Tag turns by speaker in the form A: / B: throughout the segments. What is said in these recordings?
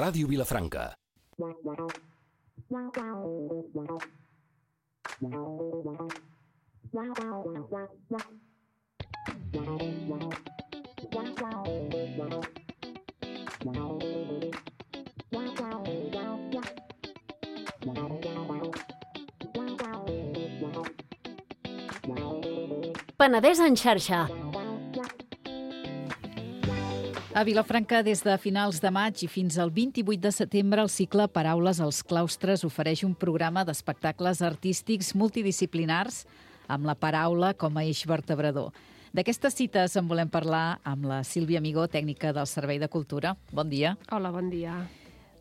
A: Ràdio Vilafranca.
B: Penedès en xarxa.
C: A Vilafranca, des de finals de maig i fins al 28 de setembre, el cicle Paraules als claustres ofereix un programa d'espectacles artístics multidisciplinars amb la paraula com a eix vertebrador. D'aquestes cites en volem parlar amb la Sílvia Amigó, tècnica del Servei de Cultura. Bon dia.
D: Hola, bon dia.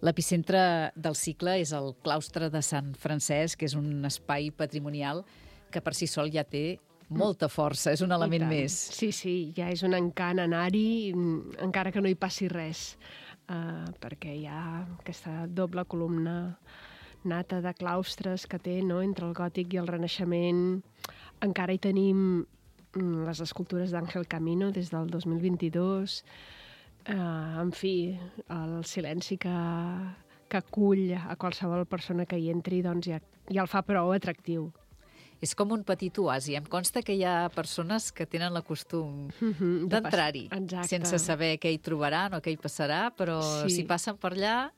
C: L'epicentre del cicle és el claustre de Sant Francesc, que és un espai patrimonial que per si sol ja té molta força, és un element més.
D: Sí, ja és un encant anar-hi, encara que no hi passi res, perquè hi ha aquesta doble columna nata de claustres que té, no?, entre el gòtic i el Renaixement. Encara hi tenim les escultures d'Àngel Camino des del 2022. En fi, el silenci que acull a qualsevol persona que hi entri, doncs ja el fa prou atractiu.
C: És com un petit oasi. Em consta que hi ha persones que tenen el costum d'entrar-hi, sense saber què hi trobaran o què hi passarà, però si passen per allà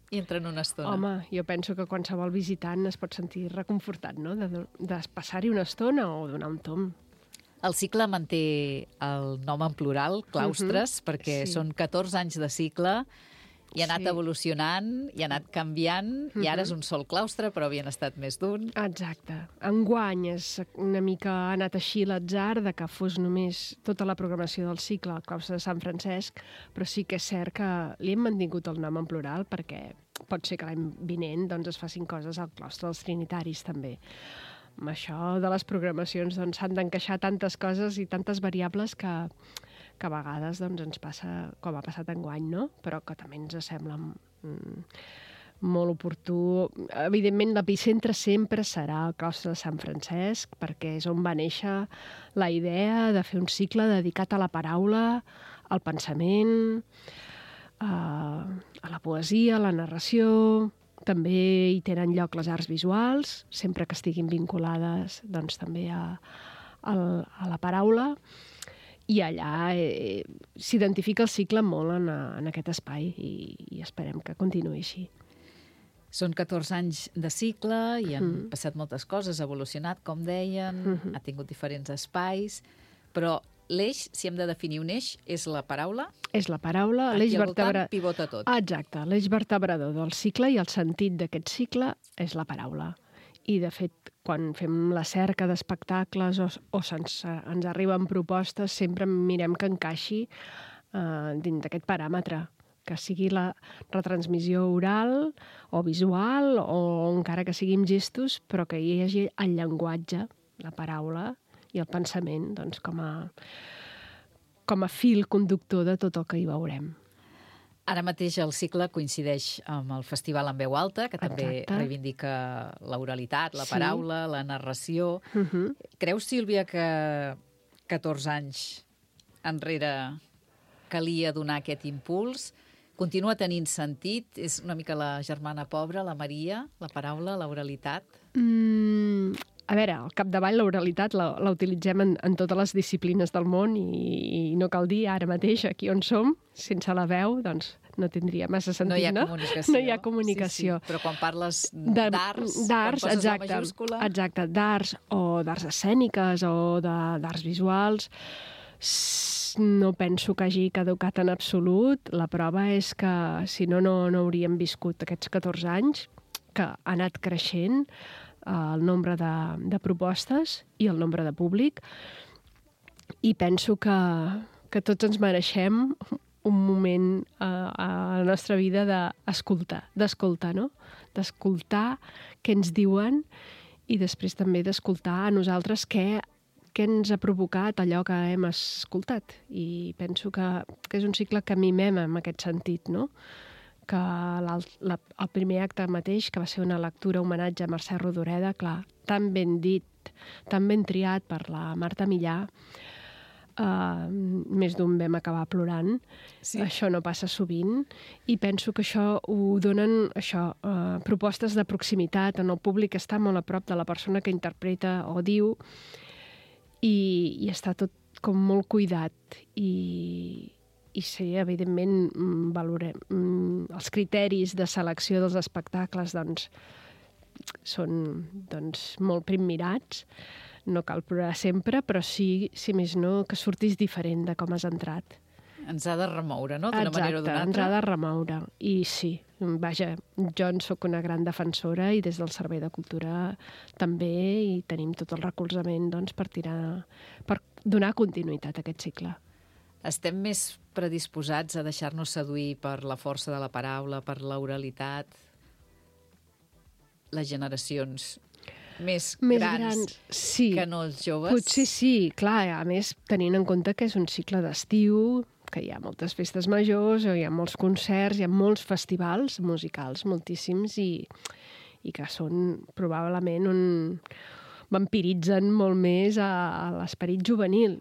C: hi entren una estona.
D: Home, jo penso que qualsevol visitant es pot sentir reconfortat, no?, de passar-hi una estona o donar un tomb.
C: El cicle manté el nom en plural, claustres, perquè són 14 anys de cicle, i ha anat evolucionant, i ha anat canviant, i ara és un sol claustre, però havien estat més d'un.
D: Exacte. Enguany una mica ha anat així l'atzar de que fos només tota la programació del cicle al claustre de Sant Francesc, però sí que és cert que li hem mantingut el nom en plural perquè pot ser que l'any vinent es facin coses al claustre dels Trinitaris també. Amb això de les programacions s'han d'encaixar tantes coses i tantes variables que a vegades ens passa com ha passat enguany, no? Però que també ens sembla molt oportú. Evidentment, l'epicentre sempre serà el claustre de Sant Francesc, perquè és on va néixer la idea de fer un cicle dedicat a la paraula, al pensament, a la poesia, a la narració. També hi tenen lloc les arts visuals, sempre que estiguin vinculades també a la paraula. I allà s'identifica el cicle molt en aquest espai i esperem que continuï així.
C: Són 14 anys de cicle i han passat moltes coses, ha evolucionat, com deien, ha tingut diferents espais, però l'eix, si hem de definir un eix, és la paraula?
D: És la paraula, l'eix vertebrador.
C: Aquí al voltant pivota tot.
D: Exacte, l'eix vertebrador del cicle i el sentit d'aquest cicle és la paraula. I, de fet, quan fem la cerca d'espectacles o ens arriben propostes, sempre mirem que encaixi dins d'aquest paràmetre, que sigui la retransmissió oral o visual o encara que sigui amb gestos, però que hi hagi el llenguatge, la paraula i el pensament com a fil conductor de tot el que hi veurem.
C: Ara mateix el cicle coincideix amb el Festival en Veu Alta, que també reivindica l'oralitat, la paraula, la narració. Creus, Sílvia, que 14 anys enrere calia donar aquest impuls? Continua tenint sentit? És una mica la germana pobra, la Maria, la paraula, l'oralitat?
D: A veure, al capdavall l'oralitat la utilitzem en totes les disciplines del món i no cal dir ara mateix, aquí on som, sense la veu, doncs no tindria massa sentit, no? No hi ha comunicació.
C: Sí. Però quan parles d'arts, quan poses la majúscula...
D: Exacte, d'arts o d'arts escèniques o d'arts visuals, no penso que hagi caducat en absolut. La prova és que, si no hauríem viscut aquests 14 anys, que ha anat creixent el nombre de propostes i el nombre de públic, i penso que tots ens mereixem un moment a la nostra vida d'escoltar, no? D'escoltar què ens diuen i després també d'escoltar a nosaltres què ens ha provocat allò que hem escoltat. I penso que és un cicle que mimem en aquest sentit, no? Que el primer acte mateix, que va ser una lectura homenatge a Mercè Rodoreda, clar, tan ben dit, tan ben triat per la Marta Millà, més d'un vam acabar plorant. Sí. Això no passa sovint. I penso que això ho donen propostes de proximitat on el públic està molt a prop de la persona que interpreta o diu i està tot com molt cuidat i sí, evidentment, valorem. Els criteris de selecció dels espectacles són molt primmirats. No cal plorar sempre, però sí, si més no, que surtis diferent de com has entrat.
C: Ens ha de remoure, no?, d'una manera o d'una altra.
D: Exacte, ens ha de remoure. I sí, vaja, jo en soc una gran defensora i des del Servei de Cultura també, i tenim tot el recolzament per donar continuïtat a aquest cicle.
C: Estem més predisposats a deixar-nos seduir per la força de la paraula, per l'oralitat, les generacions més grans
D: sí,
C: que no els joves?
D: Potser sí, clar, a més tenint en compte que és un cicle d'estiu, que hi ha moltes festes majors, hi ha molts concerts, hi ha molts festivals musicals, moltíssims, i que són probablement vampiritzen molt més a l'esperit juvenil.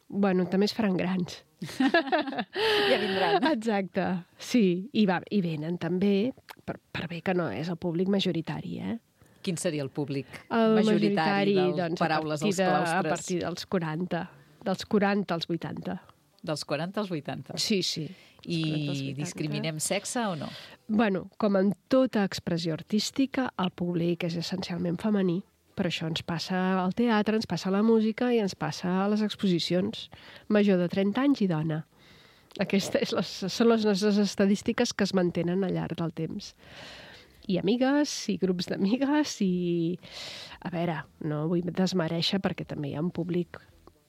D: Bueno, també es faran grans.
C: Ja vindran.
D: Exacte, sí. I venen també, per bé que no és el públic majoritari,
C: Quin seria el públic majoritari dels Paraules als Claustres?
D: A partir dels 40. Dels 40 als 80.
C: Dels 40 als 80?
D: Sí, sí.
C: I discriminem sexe o no?
D: Bueno, com en tota expressió artística, el públic és essencialment femení. Però això ens passa al teatre, ens passa a la música i ens passa a les exposicions. Major de 30 anys i dona. Aquestes són les nostres estadístiques que es mantenen al llarg del temps. I amigues, i grups d'amigues, i... A veure, no vull desmereixer perquè també hi ha un públic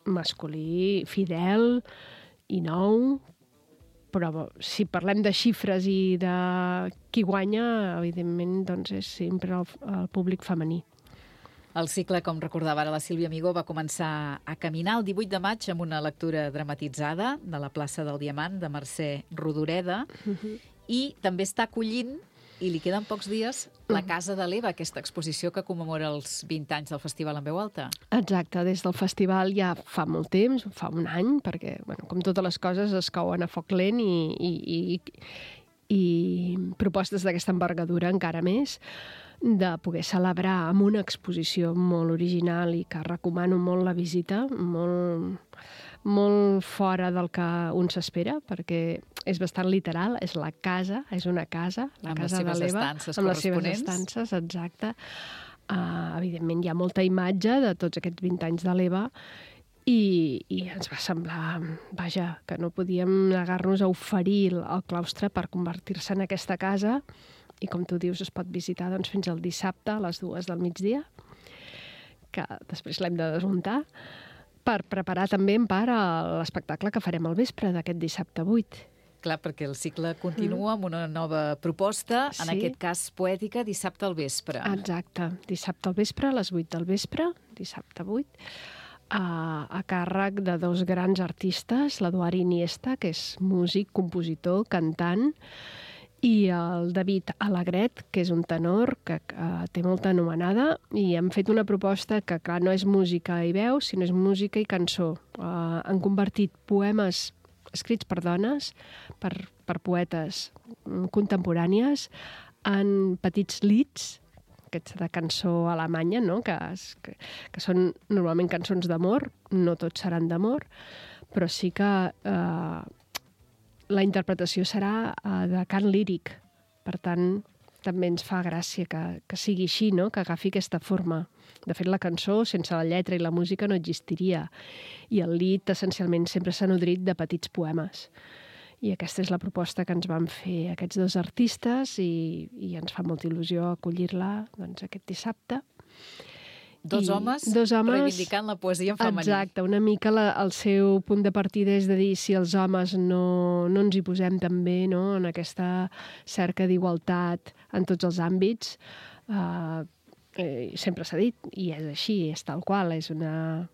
D: masculí fidel i nou, però si parlem de xifres i de qui guanya, evidentment doncs és sempre el públic femení.
C: El cicle, com recordava ara la Sílvia Amigó, va començar a caminar el 18 de maig amb una lectura dramatitzada de la plaça del Diamant de Mercè Rodoreda i també està acollint, i li queden pocs dies, la Casa de l'Eva, aquesta exposició que commemora els 20 anys del Festival en Veu Alta.
D: Exacte, des del festival ja fa molt temps, fa un any, perquè, bueno, com totes les coses, es cauen a foc lent i propostes d'aquesta envergadura encara més, de poder celebrar amb una exposició molt original i que recomano molt la visita, molt fora del que un s'espera, perquè és bastant literal, és la casa, és una casa, la casa de l'Eva, amb les seves estances, exacte. Evidentment hi ha molta imatge de tots aquests 20 anys de l'Eva i ens va semblar, vaja, que no podíem negar-nos a oferir el claustre per convertir-se en aquesta casa. I com tu dius, es pot visitar fins al dissabte a les 2 del migdia, que després l'hem de desmuntar, per preparar també en part l'espectacle que farem al vespre d'aquest dissabte 8.
C: Clar, perquè el cicle continua amb una nova proposta, en aquest cas poètica, dissabte al vespre.
D: Exacte, dissabte al vespre, a les 8 del vespre, dissabte 8, a càrrec de 2 grans artistes, l'Eduard Iniesta, que és músic, compositor, cantant, i el David Alegret, que és un tenor que té molta anomenada, i hem fet una proposta que, clar, no és música i veu, sinó és música i cançó. Han convertit poemes escrits per dones, per poetes contemporànies, en petits lieds, aquests de cançó alemanya, no? que són normalment cançons d'amor, no tots seran d'amor, però sí que la interpretació serà de cant líric. Per tant, també ens fa gràcia que sigui així, no? Que agafi aquesta forma. De fet, la cançó, sense la lletra i la música, no existiria. I el lied, essencialment, sempre s'ha nodrit de petits poemes. I aquesta és la proposta que ens van fer aquests 2 artistes i ens fa molta il·lusió acollir-la aquest dissabte.
C: Dos homes reivindicant la poesia en femení.
D: Exacte, una mica el seu punt de partida és de dir si els homes no ens hi posem també, no? En aquesta cerca d'igualtat en tots els àmbits. Sempre s'ha dit, i és així, és tal qual, és una...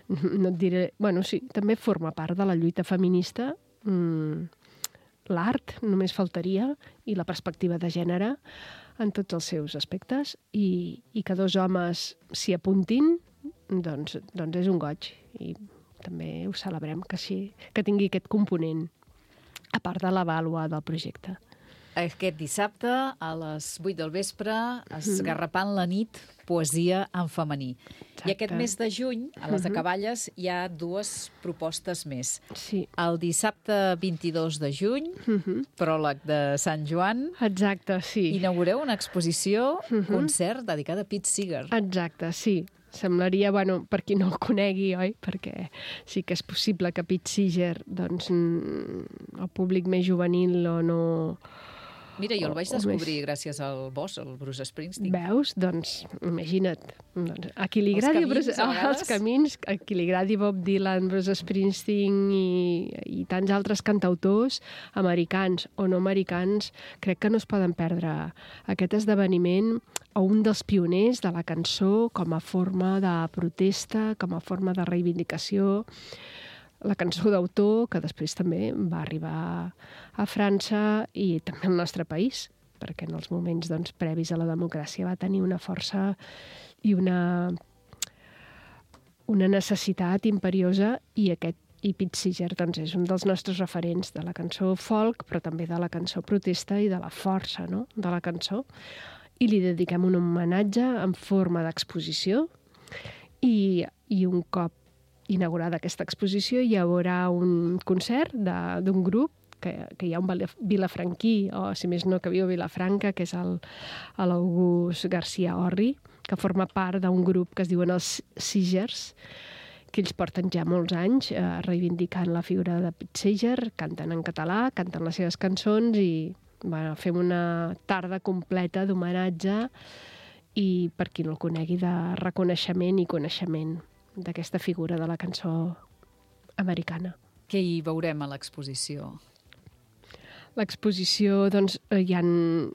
D: No et diré... Bueno, sí, també forma part de la lluita feminista, l'art, només faltaria, i la perspectiva de gènere, en tots els seus aspectes, i que 2 homes s'hi apuntin, doncs és un goig. I també ho celebrem, que tingui aquest component, a part de la vàlua del projecte.
C: Aquest dissabte, a les 8 del vespre, Esgarrapant la nit, poesia en femení. Exacte. I aquest mes de juny, a les Acaballes, hi ha 2 propostes més.
D: Sí.
C: El dissabte 22 de juny, pròleg de Sant Joan.
D: Exacte, sí.
C: Inaugureu una exposició, concert, dedicada a Pete Seeger.
D: Exacte, sí. Semblaria, bueno, per qui no el conegui, oi? Perquè sí que és possible que Pete Seeger, doncs, el públic més juvenil o no...
C: Mira, jo el vaig descobrir gràcies al boss, el Bruce Springsteen.
D: Veus? Doncs, imagina't. A qui li agradi els camins, a qui li agradi Bob Dylan, Bruce Springsteen i tants altres cantautors americans o no americans, crec que no es poden perdre aquest esdeveniment o un dels pioners de la cançó com a forma de protesta, com a forma de reivindicació. La cançó d'autor, que després també va arribar a França i també al nostre país, perquè en els moments previs a la democràcia va tenir una força i una necessitat imperiosa i Pete Seeger és un dels nostres referents de la cançó folk, però també de la cançó protesta i de la força, no?, de la cançó. I li dediquem un homenatge en forma d'exposició i un cop inaugurada aquesta exposició hi haurà un concert d'un grup que hi ha un vilafranquí, o si més no que viu a Vilafranca, que és l'August García Orri, que forma part d'un grup que es diuen els Seegers, que ells porten ja molts anys reivindicant la figura de Pete Seeger, canten en català, canten les seves cançons i fem una tarda completa d'homenatge i, per qui no el conegui, de reconeixement i coneixement d'aquesta figura de la cançó americana.
C: Què hi veurem a l'exposició?
D: L'exposició, doncs,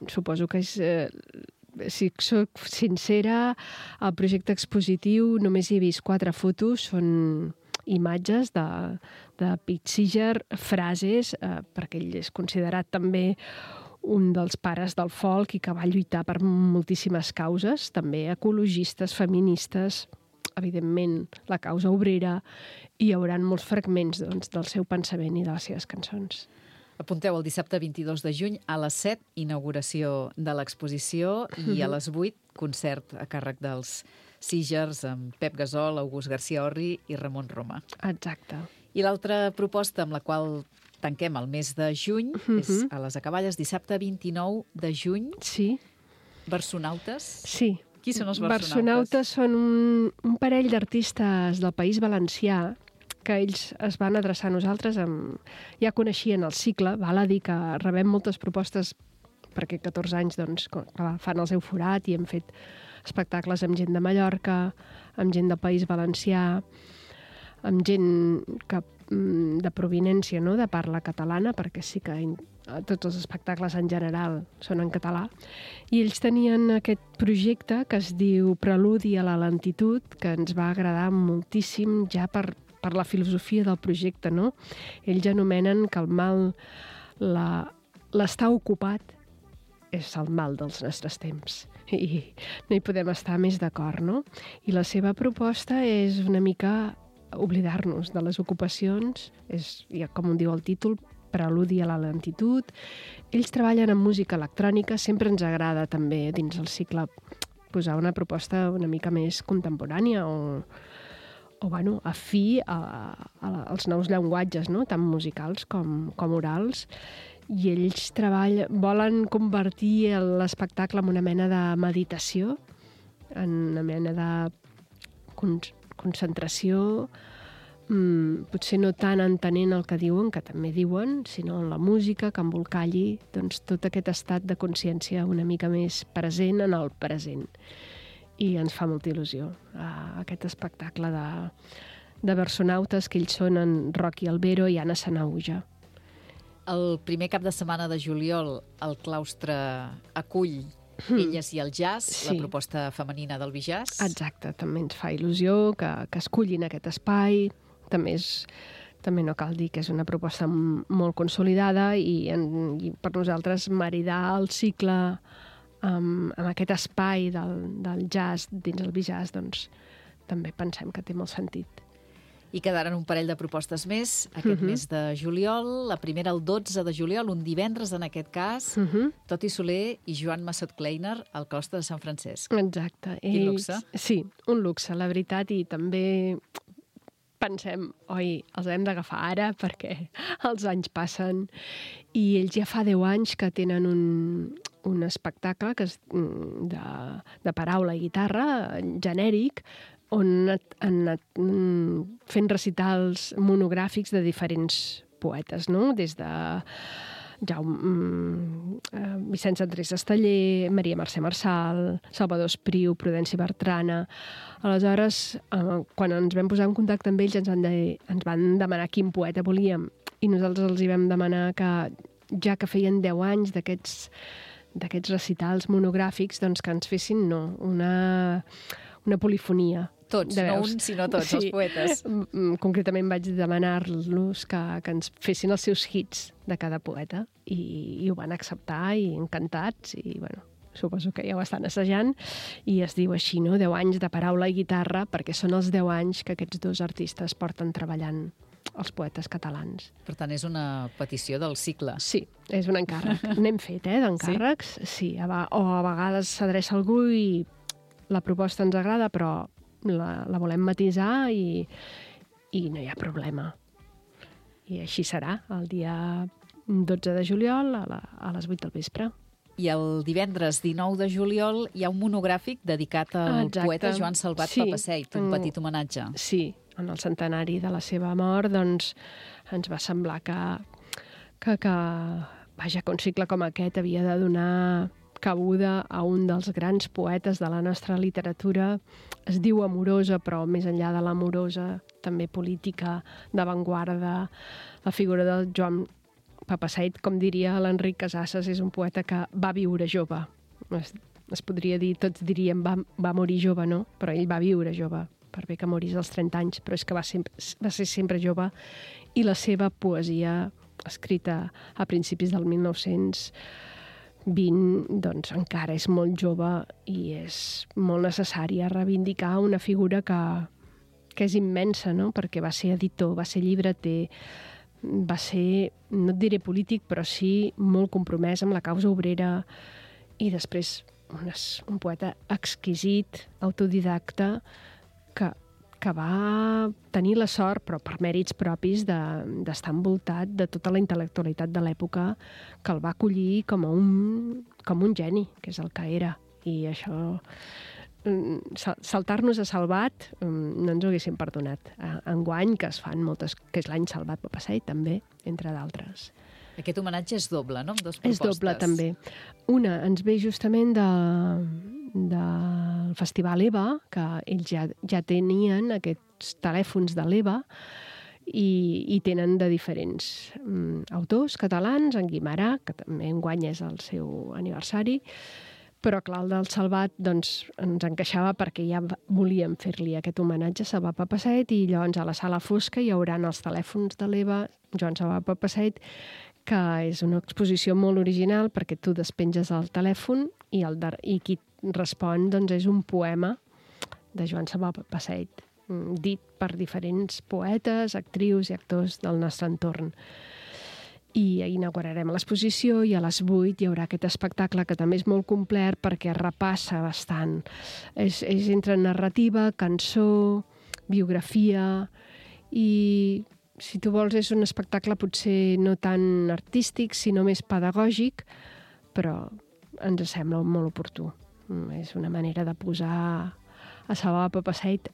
D: suposo que és... si soc sincera, el projecte expositiu només hi he vist 4 fotos, són imatges de Pete Seeger, frases, perquè ell és considerat també un dels pares del folk i que va lluitar per moltíssimes causes, també ecologistes, feministes, evidentment la causa obrera, i hi haurà molts fragments del seu pensament i de les seves cançons.
C: Apunteu el dissabte 22 de juny a les 7, inauguració de l'exposició, i a les 8, concert a càrrec dels Seegers amb Pep Gasol, August García Orri i Ramon Roma.
D: Exacte.
C: I l'altra proposta amb la qual tanquem el mes de juny és a les Acaballes, dissabte 29 de juny.
D: Sí.
C: Versonautes.
D: Sí.
C: Qui són els versonautes?
D: Versonautes són un parell d'artistes del País Valencià que ells es van adreçar a nosaltres, ja coneixien el cicle, val a dir que rebem moltes propostes perquè 14 anys fan el seu forat i hem fet espectacles amb gent de Mallorca, amb gent del País Valencià, amb gent de provinència, no?, de parla catalana, perquè sí que tots els espectacles en general són en català, i ells tenien aquest projecte que es diu Preludi a la lentitud, que ens va agradar moltíssim ja per la filosofia del projecte, no? Ells anomenen que el mal, l'estar ocupat, és el mal dels nostres temps. I no hi podem estar més d'acord, no? I la seva proposta és una mica oblidar-nos de les ocupacions, és, com diu el títol, Preludi a la lentitud. Ells treballen amb música electrònica, sempre ens agrada també dins el cicle posar una proposta una mica més contemporània o afí als nous llenguatges, no?, tant musicals com orals. I ells volen convertir l'espectacle en una mena de meditació, en una mena de concentració, potser no tant entenent el que diuen, que també diuen, sinó en la música, que embolcalli tot aquest estat de consciència una mica més present en el present. I ens fa molta il·lusió aquest espectacle de versonautes, que ells són en Rocky Albero i Anna Sanauja.
C: El primer cap de setmana de juliol el claustre acull Elles i el jazz, sí, la proposta femenina del Bijazz.
D: Exacte, també ens fa il·lusió que escullin aquest espai. També no cal dir que és una proposta molt consolidada i per nosaltres maridar el cicle amb aquest espai del jazz dins el Bijazz, doncs també pensem que té molt sentit.
C: I quedaran un parell de propostes més aquest mes de juliol. La primera el 12 de juliol, un divendres en aquest cas, Toti Soler i Joan Massot Kleiner al Costa de Sant Francesc.
D: Exacte.
C: Quin luxe.
D: Sí, un luxe, la veritat, i també pensem, oi, els hem d'agafar ara perquè els anys passen. I ells ja fa 10 anys que tenen un espectacle que és de paraula i guitarra, genèric, on han anat fent recitals monogràfics de diferents poetes, no? Des de Vicenç Andrés Esteller, Maria Mercè Marçal, Salvador Espriu, Prudenci Bertrana. Aleshores, quan ens vam posar en contacte amb ells, ens van demanar quin poeta volíem, i nosaltres els hi vam demanar que, ja que feien 10 anys d'aquests recitals monogràfics, doncs que ens fessin una polifonia.
C: Tots, no un, sinó tots, els poetes.
D: Concretament vaig demanar-los que ens fessin els seus hits de cada poeta i ho van acceptar i encantats i, bueno, suposo que ja ho estan assajant i es diu així, no? 10 anys de paraula i guitarra, perquè són els 10 anys que aquests dos artistes porten treballant els poetes catalans.
C: Per tant, és una petició del cicle.
D: Sí, és un encàrrec. N'hem fet, d'encàrrecs. Sí, o a vegades s'adreça algú i la proposta ens agrada, però la volem matisar i no hi ha problema. I així serà, el dia 12 de juliol a les 8 del vespre.
C: I el divendres 19 de juliol hi ha un monogràfic dedicat al poeta Joan Salvat Papasseit, un petit homenatge.
D: Sí, en el centenari de la seva mort, doncs ens va semblar que un cicle com aquest havia de donar cabuda a un dels grans poetes de la nostra literatura. Es diu amorosa, però més enllà de l'amorosa, també política, d'avantguarda. La figura del Joan Papasseit, com diria l'Enric Casasses, és un poeta que va viure jove. Es podria dir, tots diríem va morir jove, no? Però ell va viure jove, per bé que morís als 30 anys, però és que va ser sempre jove, i la seva poesia, escrita a principis del 1920, doncs encara és molt jove i és molt necessària reivindicar una figura que és immensa, no? Perquè va ser editor, va ser llibreter, va ser, no et diré polític, però sí molt compromès amb la causa obrera, i després un poeta exquisit, autodidacta, que va tenir la sort, però per mèrits propis, d'estar envoltat de tota la intel·lectualitat de l'època, que el va acollir com un geni, que és el que era. I això, saltar-nos a Salvat, no ens ho haguéssim perdonat. Enguany, que es fan moltes, que és l'any Salvat Papasseit, també, entre d'altres.
C: Aquest homenatge és doble, no? Amb dues propostes.
D: És doble, també. Una ens ve justament del Festival EVA, que ells ja tenien aquests telèfons de l'EVA i tenen de diferents autors catalans, en Guimarà, que també enguany és el seu aniversari, però clar, el del Salvat doncs, ens encaixava perquè ja volíem fer-li aquest homenatge a Salvat Papasseit, i llavors a la sala fosca hi haurà els telèfons de l'EVA, Joan Salvat Papasseit, que és una exposició molt original perquè tu despenges el telèfon i qui respon doncs, és un poema de Joan Salvat Papasseit, dit per diferents poetes, actrius i actors del nostre entorn. I inaugurarem l'exposició i a les 8 hi haurà aquest espectacle que també és molt complet perquè repassa bastant. És entre narrativa, cançó, biografia, i si tu vols és un espectacle potser no tan artístic, sinó més pedagògic, però ens sembla molt oportú. És una manera de posar a Salvat Papasseit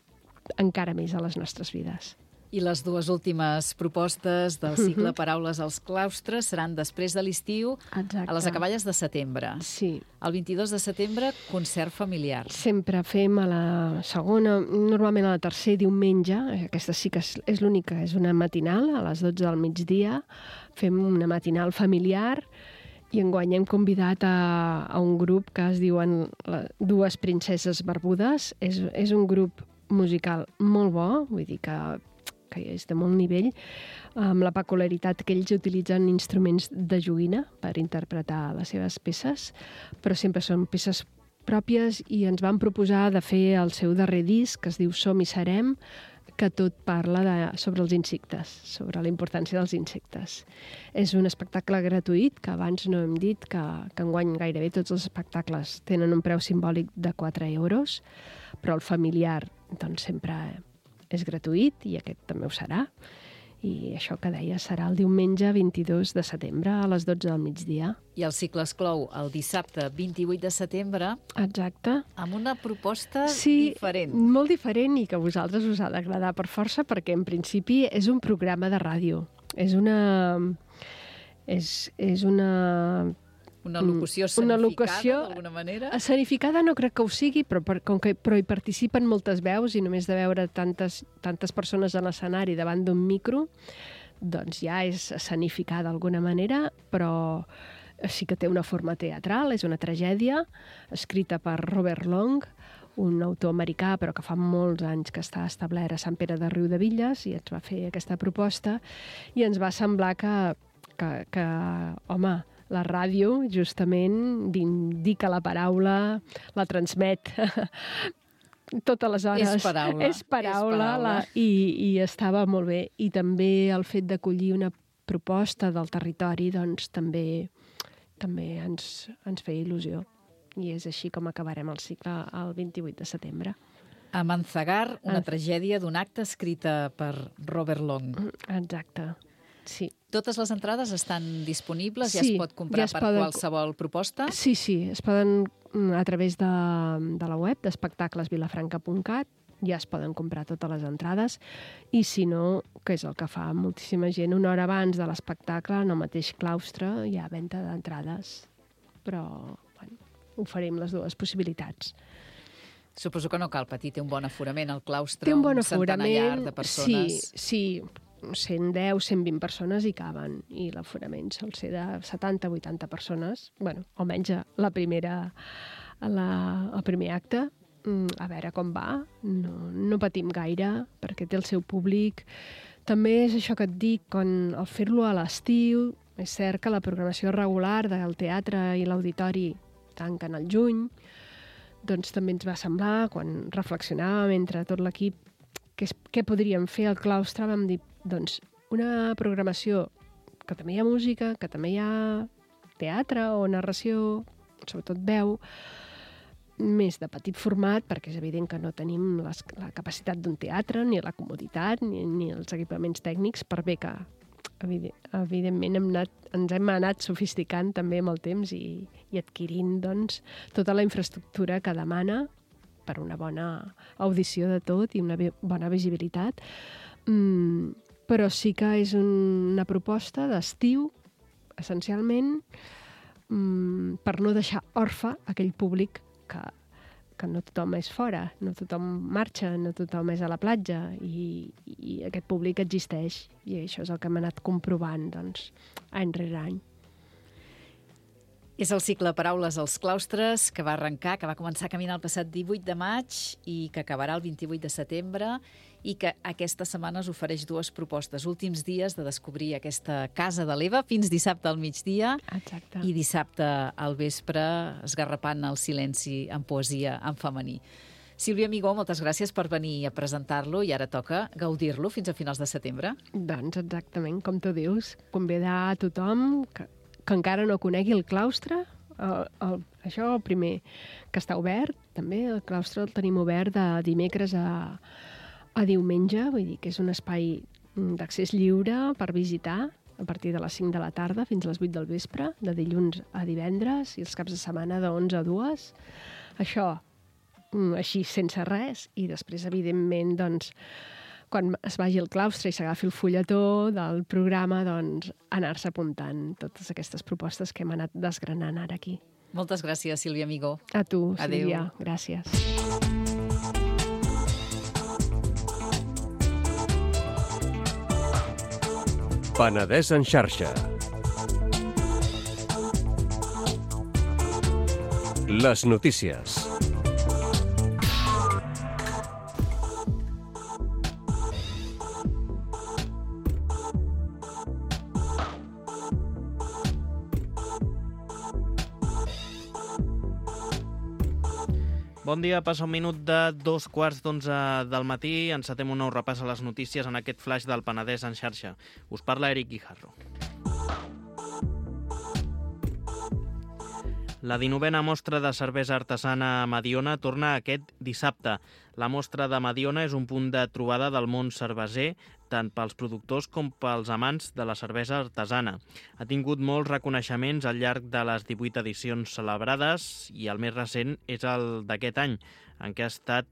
D: encara més a les nostres vides.
C: I les dues últimes propostes del cicle Paraules als claustres seran després de l'estiu, a les acaballes de setembre.
D: Sí.
C: El 22 de setembre, concert familiar.
D: Sempre fem a la segona, normalment a la tercer diumenge, aquesta sí que és l'única, és una matinal, a les 12 del migdia, fem una matinal familiar, i enguany hem convidat a un grup que es diuen Dues Princeses Barbudes. És un grup musical molt bo, vull dir que és de molt nivell, amb la peculiaritat que ells utilitzen instruments de joguina per interpretar les seves peces, però sempre són peces pròpies, i ens van proposar de fer el seu darrer disc, que es diu Som i Serem, que tot parla sobre els insectes, sobre la importància dels insectes. És un espectacle gratuït, que abans no hem dit que enguany gairebé tots els espectacles tenen un preu simbòlic de 4 euros, però el familiar doncs, sempre és gratuït i aquest també ho serà. I això que deia serà el diumenge 22 de setembre a les 12 del migdia.
C: I el cicle es clou el dissabte 28 de setembre.
D: Exacte.
C: Amb una proposta diferent.
D: Sí, molt diferent i que a vosaltres us ha d'agradar per força perquè en principi és un programa de ràdio. És una
C: Una locució escenificada, d'alguna manera?
D: Escenificada no crec que ho sigui, però hi participen moltes veus i només de veure tantes persones a l'escenari davant d'un micro, doncs ja és escenificada d'alguna manera, però sí que té una forma teatral, és una tragèdia, escrita per Robert Long, un autor americà, però que fa molts anys que està establert a Sant Pere de Riudebitlles, i ens va fer aquesta proposta, i ens va semblar que home, la ràdio, justament, indica la paraula, la transmet totes les hores.
C: És paraula.
D: I estava molt bé. I també el fet d'acollir una proposta del territori doncs, també ens feia il·lusió. I és així com acabarem el cicle el 28 de setembre.
C: A Manzagar, una tragèdia d'un acte escrita per Robert Long.
D: Exacte. Sí.
C: Totes les entrades estan disponibles? Ja es pot comprar per qualsevol proposta?
D: Sí, es poden a través de la web d'espectaclesvilafranca.cat, ja es poden comprar totes les entrades, i si no, que és el que fa moltíssima gent, una hora abans de l'espectacle, en el mateix claustre, hi ha venda d'entrades. Però oferim les dues possibilitats.
C: Suposo que no cal patir, té un bon aforament al claustre, un centenar llarg de persones.
D: Sí, 110, 120 persones hi caben, i l'aforament sol ser de 70-80 persones, almenys el primer acte. A veure com va, no patim gaire, perquè té el seu públic. També és això que et dic, al fer-lo a l'estiu, és cert que la programació regular del teatre i l'auditori tanquen al juny, doncs també ens va semblar, quan reflexionàvem entre tot l'equip, què podríem fer al claustre, vam dir, doncs, una programació que també hi ha música, que també hi ha teatre o narració, sobretot veu, més de petit format, perquè és evident que no tenim la capacitat d'un teatre, ni la comoditat, ni els equipaments tècnics, per bé que, evidentment, ens hem anat sofisticant també amb el temps i adquirint doncs, tota la infraestructura que demana per una bona audició de tot i una bona visibilitat. Però sí que és una proposta d'estiu, essencialment, per no deixar orfe aquell públic que no tothom és fora, no tothom marxa, no tothom és a la platja, i aquest públic existeix, i això és el que hem anat comprovant doncs, any rere any.
C: És el cicle Paraules als claustres, que va començar a caminar el passat 18 de maig i que acabarà el 28 de setembre, i que aquesta setmana us ofereix dues propostes. Últims dies de descobrir aquesta casa de l'Eva, fins dissabte al migdia.
D: Exacte.
C: I dissabte al vespre, esgarrapant el silenci en poesia en femení. Sílvia Amigó, moltes gràcies per venir a presentar-lo, i ara toca gaudir-lo fins a finals de setembre.
D: Doncs exactament, com tu dius, convidar a tothom que encara no conegui el claustre. Això, el primer, que està obert, també el claustre el tenim obert de dimecres a diumenge, vull dir que és un espai d'accés lliure per visitar a partir de les 5 de la tarda fins a les 8 del vespre, de dilluns a divendres, i els caps de setmana de 11 a 2. Això, així, sense res, i després, evidentment, doncs, quan es vagi al claustre i s'agafi el fulletó del programa, doncs, anar-se apuntant totes aquestes propostes que hem anat desgranant ara aquí.
C: Moltes gràcies, Sílvia Amigó.
D: A tu, Sílvia. Gràcies.
A: Penedès en xarxa. Les notícies.
B: Bon dia, passa un minut de 2:15 del matí. Encetem un nou repàs a les notícies en aquest flash del Penedès en xarxa. Us parla Eric Guijarro. La 19a mostra de cervesa artesana a Mediona torna aquest dissabte. La mostra de Mediona és un punt de trobada del món cerveser, tant pels productors com pels amants de la cervesa artesana. Ha tingut molts reconeixements al llarg de les 18 edicions celebrades i el més recent és el d'aquest any, en què ha estat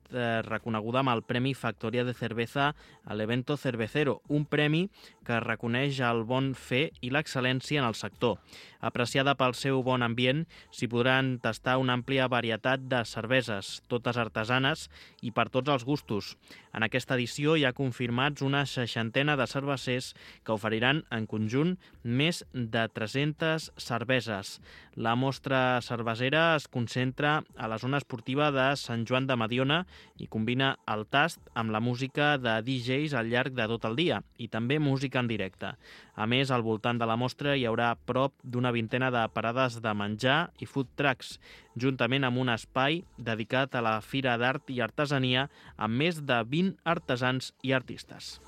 B: reconeguda amb el Premi Factoria de Cerveza a l'Evento Cervecero, un premi que reconeix el bon fer i l'excel·lència en el sector. Apreciada pel seu bon ambient, s'hi podran tastar una àmplia varietat de cerveses, totes artesanes i per tots els gustos. En aquesta edició hi ha confirmats una 60ena de cervesers que oferiran en conjunt més de 300 cerveses. La mostra cervesera es concentra a la zona esportiva de Sant Joan de Mediona i combina el tast amb la música de DJs al llarg de tot el dia i també música en directe. A més, al voltant de la mostra hi haurà prop d'una vintena de parades de menjar i food trucks, juntament amb un espai dedicat a la Fira d'Art i Artesania amb més de 20 artesans i artistes.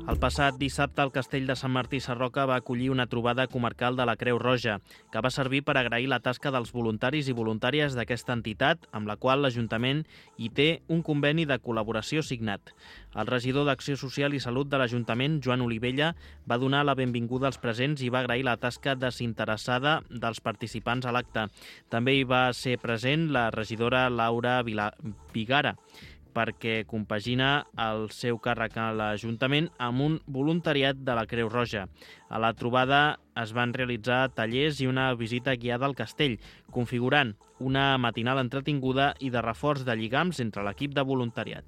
B: El passat dissabte, el Castell de Sant Martí Sarroca va acollir una trobada comarcal de la Creu Roja, que va servir per agrair la tasca dels voluntaris i voluntàries d'aquesta entitat, amb la qual l'Ajuntament hi té un conveni de col·laboració signat. El regidor d'Acció Social i Salut de l'Ajuntament, Joan Olivella, va donar la benvinguda als presents i va agrair la tasca desinteressada dels participants a l'acte. També hi va ser present la regidora Laura Vigara, perquè compagina el seu càrrec a l'Ajuntament amb un voluntariat de la Creu Roja. A la trobada es van realitzar tallers i una visita guiada al castell, configurant una matinal entretinguda i de reforç de lligams entre l'equip de voluntariat.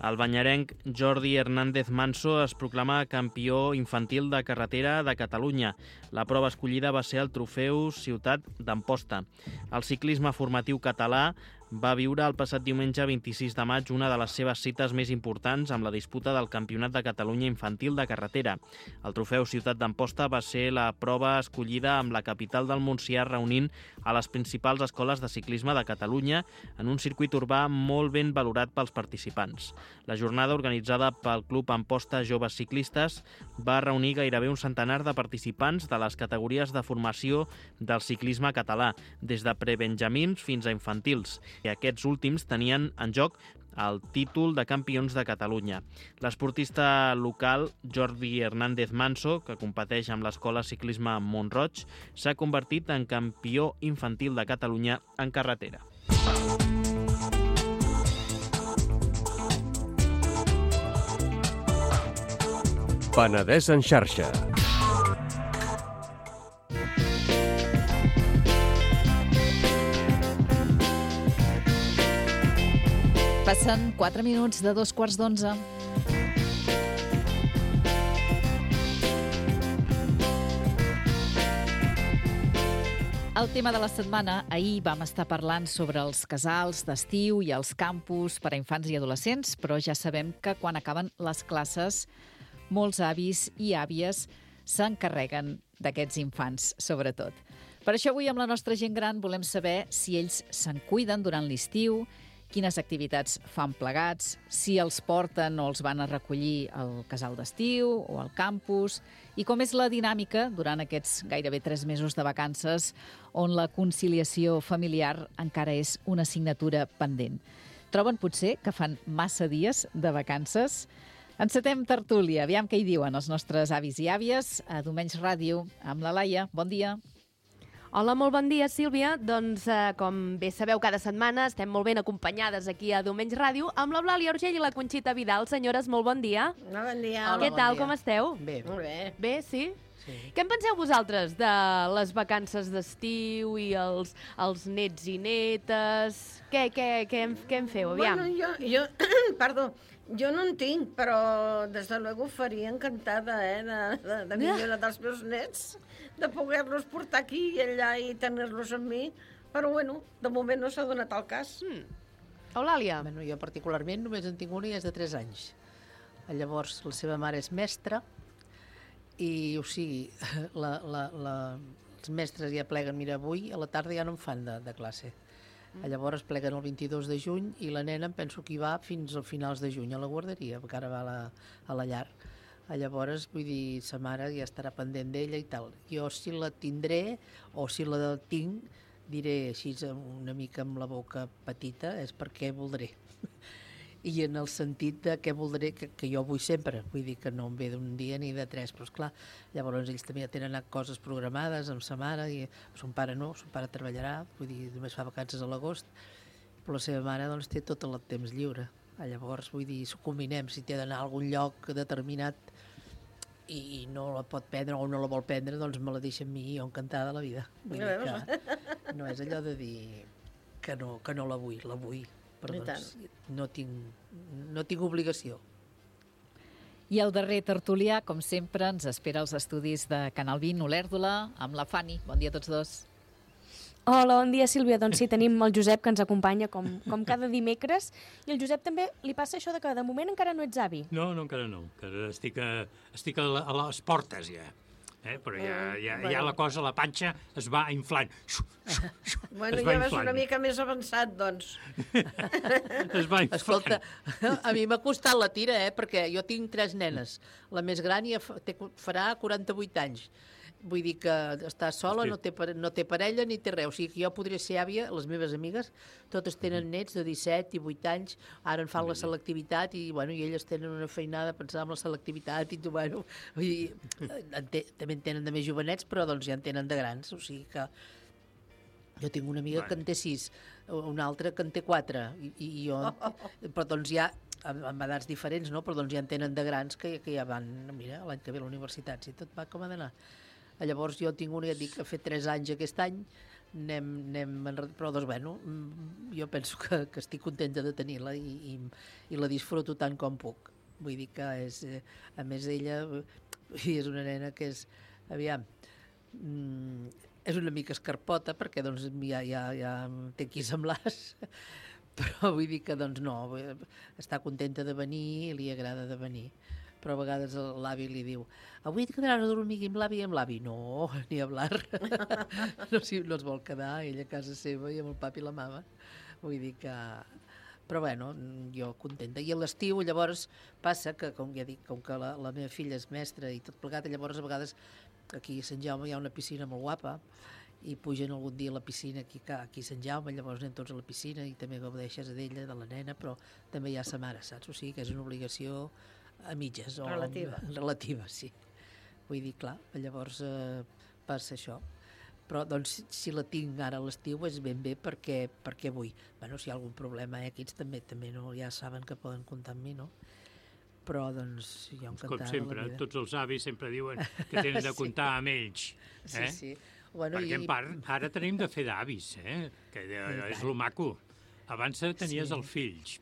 B: El banyarenc Jordi Hernández Manso es proclama campió infantil de carretera de Catalunya. La prova escollida va ser el trofeu Ciutat d'Amposta. El ciclisme formatiu català va viure el passat diumenge 26 de maig una de les seves cites més importants amb la disputa del Campionat de Catalunya infantil de carretera. El trofeu Ciutat d'Amposta va ser la prova escollida amb la capital del Montsià reunint a les principals escoles de ciclisme de Catalunya en un circuit urbà molt ben valorat pels participants. La jornada, organitzada pel Club Amposta Joves Ciclistes, va reunir gairebé un centenar de participants de les categories de formació del ciclisme català, des de prebenjamins fins a infantils, i aquests últims tenien en joc el títol de campions de Catalunya. L'esportista local Jordi Hernández Manso, que competeix amb l'Escola Ciclisme Mont-roig, s'ha convertit en campió infantil de Catalunya en carretera.
A: Penedès en xarxa.
C: Passen 4 minuts de 2:15. El tema de la setmana, ahir vam estar parlant sobre els casals d'estiu i els campus per a infants i adolescents, però ja sabem que quan acaben les classes molts avis i àvies s'encarreguen d'aquests infants, sobretot. Per això avui amb la nostra gent gran volem saber si ells se'n cuiden durant l'estiu, quines activitats fan plegats, si els porten o els van a recollir al casal d'estiu o al campus, i com és la dinàmica durant aquests gairebé 3 mesos de vacances on la conciliació familiar encara és una assignatura pendent. Troben potser que fan massa dies de vacances? Encetem tertúlia, aviam què hi diuen els nostres avis i àvies a Domenys Ràdio amb la Laia. Bon dia.
E: Hola, molt bon dia, Sílvia. Doncs, com bé sabeu, cada setmana estem molt ben acompanyades aquí a Domenys Ràdio amb l'Eulàlia Urgell i la Conxita Vidal. Senyores, molt bon dia.
F: Bon dia.
E: Què tal, com esteu?
F: Bé. Molt bé.
E: Bé, sí? Sí. Què en penseu vosaltres de les vacances d'estiu i els nets i netes? Què en feu, aviam?
F: Bueno, jo perdó, jo no en tinc, però des de luego faria encantada, de millorar dels meus nets, de poder-los portar aquí i allà i tenir-los amb mi, però bueno, de moment no s'ha donat el cas.
E: Eulàlia?
G: Bueno, jo particularment només en tinc una i és de 3 anys. Llavors, la seva mare és mestra i, o sigui, els mestres ja pleguen, mira, avui a la tarda ja no en fan de classe. Llavors pleguen el 22 de juny i la nena em penso que hi va fins a finals de juny a la guarderia, perquè ara va a la llar. Llavors, vull dir, sa mare ja estarà pendent d'ella i tal. Jo si la tindré o si la tinc, diré així una mica amb la boca petita, és perquè voldré. I en el sentit de què voldré, que jo vull sempre, vull dir que no em ve d'un dia ni de tres, però esclar, llavors ells també ja tenen coses programades amb sa mare, i son pare no, son pare treballarà, vull dir, només fa vacances a l'agost, però la seva mare doncs té tot el temps lliure. Llavors, vull dir, s'ho combinem, si té d'anar a algun lloc determinat i no la pot prendre o no la vol prendre, doncs me la deixa amb mi i jo encantada de la vida. Vull dir que no és allò de dir que no la vull. Però doncs, no tinc obligació.
C: I el darrer tertulià, com sempre, ens espera als estudis de Canal 20, Olèrdola, amb la Fanny. Bon dia a tots dos.
H: Hola, bon dia, Sílvia. Doncs sí, tenim el Josep, que ens acompanya com cada dimecres. I el Josep també li passa això de que de moment encara no ets avi.
I: No, encara no. Encara estic a les portes, ja. Però ja la cosa, la panxa, es va inflant.
F: Bueno, ja vas una mica més avançat, doncs.
I: Es va inflant.
G: Escolta, a mi m'ha costat la tira, perquè jo tinc 3 nenes. La més gran ja farà 48 anys. Vull dir que està sola, no té parella ni té res. O sigui que jo podria ser àvia, les meves amigues, totes tenen nets de 17 i 8 anys, ara en fan la selectivitat i elles tenen una feinada pensant en la selectivitat i vull dir, també en tenen de més jovenets, però doncs ja en tenen de grans. O sigui que jo tinc una amiga que en té 6, una altra que en té 4, i jo, però doncs ja amb edats diferents, no? Però doncs ja en tenen de grans que ja van, mira, l'any que ve a la universitat, si tot va com ha d'anar. Llavors jo tinc una que dic que ha fet 3 anys aquest any, però doncs bueno, jo penso que estic contenta de tenir-la i la disfruto tant com puc. Vull dir que és, a més ella, és una nena que és, aviam, és una mica escarpota perquè doncs ja té qui semblar-se, però vull dir que doncs no, està contenta de venir i li agrada de venir. Però a vegades l'avi li diu avui et quedaràs a dormir amb l'avi i amb l'avi. No, ni hablar. No es vol quedar ella a casa seva i amb el papi i la mama. Vull dir que... Però bueno, jo contenta. I a l'estiu llavors passa que, com ja dic, com que la meva filla és mestra i tot plegat, llavors a vegades aquí a Sant Jaume hi ha una piscina molt guapa i pugen algun dia a la piscina aquí a Sant Jaume, llavors anem tots a la piscina i també gaudeixes d'ella, de la nena, però també hi ha sa mare, saps? O sigui que és una obligació a mitges. Relativa, sí. Vull dir, clar, llavors passa això. Però, doncs, si la tinc ara a l'estiu és ben bé perquè vull. Bueno, si hi ha algun problema, aquests també no, ja saben que poden comptar amb mi, no? Però, doncs, jo encantada.
I: Com sempre, tots els avis sempre diuen que tenen de comptar amb ells.
G: Sí. Bueno,
I: perquè en part, ara tenim de fer d'avis, que és lo maco. Abans tenies els fills,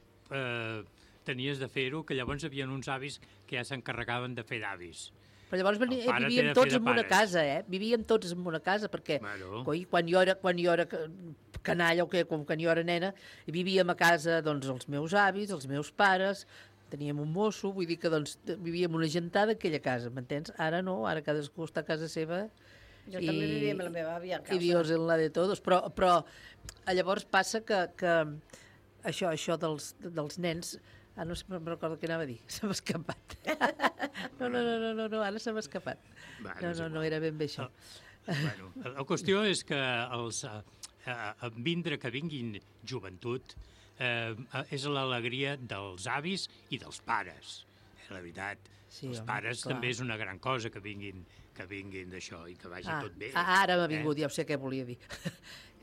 I: tenies de fer-ho, que llavors hi havia uns avis que ja s'encarregaven de fer d'avis.
G: Però llavors vivíem tots en una casa, Vivíem tots en una casa, perquè quan jo era canalla, com quan jo era nena, vivíem a casa doncs, els meus avis, els meus pares, teníem un mosso, vull dir que doncs, vivíem una gentada a aquella casa, m'entens? Ara no, ara cadascú està a casa seva.
F: Jo també vivia amb la meva àvia a casa.
G: I Dios en la de todos, però llavors passa que això dels nens, no sé, me'n recordo què anava a dir, se m'ha escapat. No, ara se m'ha escapat. No, era ben bé això.
I: Bueno, la qüestió és que vindre que vinguin joventut és l'alegria dels avis i dels pares, la veritat. Els pares també és una gran cosa que vinguin d'això i que vagi tot bé.
G: Ara m'ha vingut, ja sé què volia dir.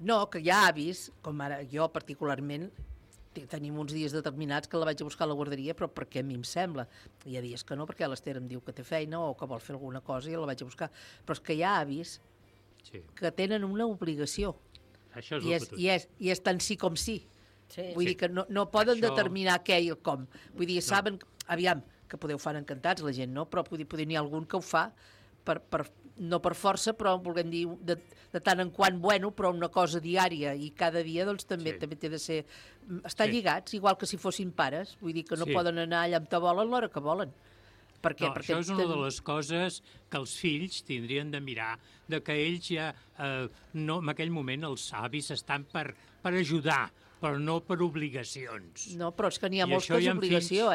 G: No, que hi ha avis, com ara jo particularment, tenim uns dies determinats que la vaig a buscar a la guarderia, però perquè a mi em sembla. Hi ha dies que no, perquè l'Ester em diu que té feina o que vol fer alguna cosa i la vaig a buscar. Però és que hi ha avis que tenen una obligació.
I: Això és
G: I és tant sí com sí. Vull dir que no poden determinar què i el com. Vull dir, saben, aviam, que podeu fer encantats la gent, no? Però poder n'hi ha algun que ho fa per no per força, però volem dir de tant en quant bueno, però una cosa diària i cada dia doncs també té de ser... Estar lligats, igual que si fossin pares. Vull dir que no poden anar allà on volen l'hora que volen. Perquè
I: això és una de les coses que els fills tindrien de mirar, de que ells ja, en aquell moment els avis estan per ajudar, però no per obligacions.
G: No, però és que n'hi ha molts que és obligació,